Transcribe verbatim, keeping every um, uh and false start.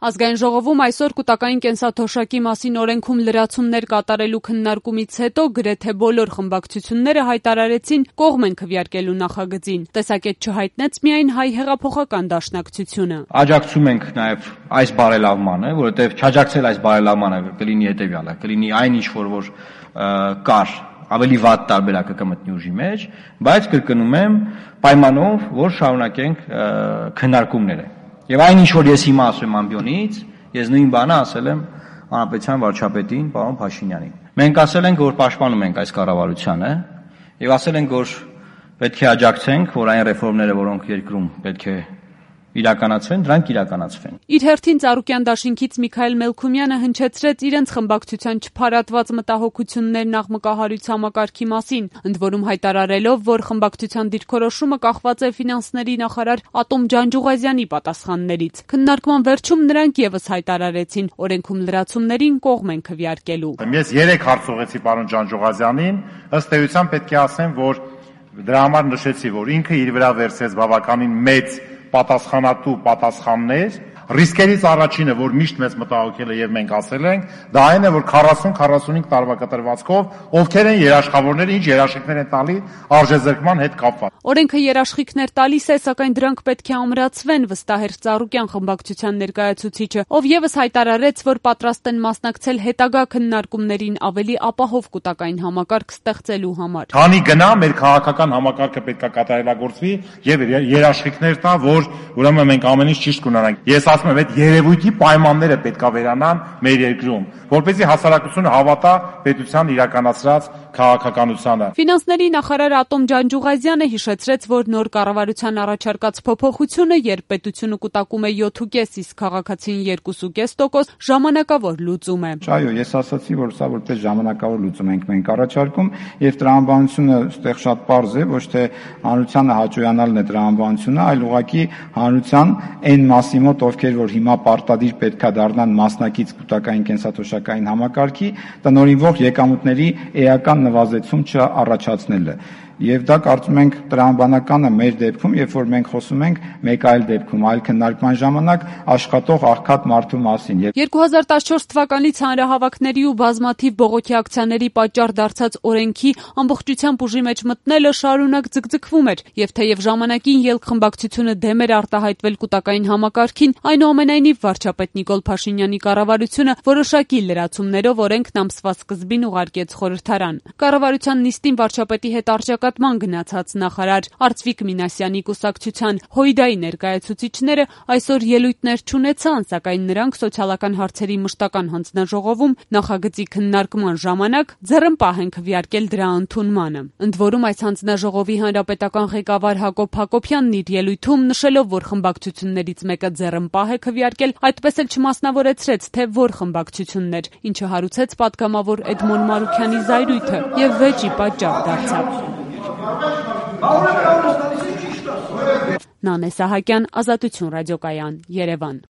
Ազգային ժողովում այսօր կൂտակային կենսաթոշակի մասին օրենքում լրացումներ կատարելու քննարկումից հետո գրեթե բոլոր խմբակցությունները հայտարարեցին կողմ են քվեարկելու նախագծին։ Տեսակետ չհայտնեց միայն Հայ հեղափոխական դաշնակցությունը։ Աջակցում ենք նաև այս բարելավմանը, որովհետև չաջակցել այս բարելավմանը կլինի հետևյալը, կլինի այն ինչ որ որ կար ավելի վատ տարբերակը կմտնի ուժի մեջ, բայց կրկնում եմ պայմանով, որ շարունակենք քննարկումները։ Եվ այն ինչ որ ես հիմա ասում եմ ամբիոնից, ես նույն բանը ասել եմ հանրապետության վարչապետին, պարոն Փաշինյանին։ Մենք ասել ենք, որ պաշտպանում ենք այս կառավարությանը եւ ասել ենք, որ պետք է աջակցենք, որ այն ռեֆորմները, որոնք երկրում պետք է իրականացվեն, դրանք իրականացվեն։ Իր հերթին Ծառուկյան դաշինքից Միքայել Մելքումյանը հնչեցրեց իրենց խմբակցության չփարատված մտահոգություններն աղմկահարույց համակարգի մասին, ընդ որում հայտարարելով, որ խմբակցության դիրքորոշումը կախված է ֆինանսների նախարար Ատոմ Ջանջուղազյանի պատասխաններից։ Քննարկման վերջում նրանք եւս հայտարարեցին, օրենքում լրացումներին կողմ են քվեարկելու։ Ես երեք հարց ուղղեցի պարոն Ջանջուղազյանին, ըստ էության պետք է ասեմ, որ դրա համար նշեցի, որ ինքը իր վրա վերցրեց բավականին մեծ պատասխանատու պատասխաններ, ռիսկերից առաջինը, որ միշտ մեզ մտահոգել է եւ մենք ասել ենք, դա այն է, որ քառասուն քառասունհինգ տարվա կտրվածքով ովքեր են երաշխավորները, ինչ երաշխիքներ են տալի արժեզրկման հետ կապված։ Օրենքը երաշխիքներ տալիս է, սակայն դրանք պետք է ամրացվեն, վստահ էր Ծառուկյան խմբակցության ներկայացուցիչը, ով եւս հայտարարեց, որ պատրաստ են մասնակցել հետագա քննարկումներին ավելի ապահով կൂട്ടակային համակարգ ստեղծելու համար։ Քանի գնա մեր քաղաքական համակարգը պետք է կատարելագործվի եւ երաշխիքներ տա, որ ուրեմն մենք ամեն ինչ ճիշտ կունենանք։ Ես ասում եմ, այդ երևույթի պայմանները պետք է վերանան մեր երկրում, որպեսզի հասարակությունը հավատա պետության իրականացրած քաղաքականությանը։ Ֆինանսների նախարար Ատոմ Ջանջուղազյանը հիշեցրեց, որ նոր կառավարության առաջարկած փոփոխությունը, երբ պետությունը կուտակում է յոթ կես, իսկ քաղաքացին երկու կես տոկոս, ժամանակավոր լուծում է։ Այո, ես ասացի, որ սա որպես ժամանակավոր լուծում ենք մենք առաջարկում, եւ տրամաբանությունը այստեղ շատ պարզ է, ոչ թե հանրությանը հաճոյանալն է տրամաբանությունը, այլ ուղղակի հանրության այն մասի մոտ, ովքեր որ հիմա պարտադիր պետքա դառնան մասնակից կൂട്ടակային կենսաթոշակային համակարգի, տնօրինվող եկամուտների էական նվազեցում չառաջացնելը։ Եվ դա կարծում ենք տրամաբանականը մեր դեպքում, երբ որ մենք խոսում ենք մեկ այլ դեպքում, այլ քննարկման ժամանակ աշխատող աղքատ մարդու մասին։ երկու հազար տասնչորս թվականից հանրահավաքների ու բազմաթիվ բողոքի ակցիաների պատճառ դարձած օրենքի ամբողջությամբ ուժի մեջ մտնելը շարունակ ձգձգվում էր, եւ թեև ժամանակին ելք խմբակցությունը դեմ էր արտահայտվել կൂട്ടակային համակարգին, այնուամենայնիվ վարչապետ Նիկոլ Փաշինյանի կառավարությունը որոշակի լրացումներով օրենքն ամսվա սկզբին ուղարկեց խորհրդարան։ Կառավարության նիստին վարչապետի հետ արժակատման գնացած նախարար Արծվիկ Մինասյանի կուսակցության Հույդայի ներկայացուցիչները այսօր ելույթներ չունեցան, սակայն նրանք սոցիալական հարցերի մշտական հանձնաժողովում նախագծի քննարկման ժամանակ ձեռնպահ են քվեարկել դրա ընդունմանը։ Ընդ որում այս հանձնաժողովի հանրապետական ղեկավար Հակոբ Հակոբյանն իր ելույթում նշելով, որ խմբակցություններից մեկը ձեռնպահ է քվեարկել, այդպես էլ չմասնավորեցրեց, թե որ խմբակցություններ, ինչը հարուցեց պատգամավոր Էդմոն Մարուքյանի զայրույթը եւ վեճի պատճառ դարձավ։ Նանե Սահակյան, Ազատություն ռադիոկայան, Երևան։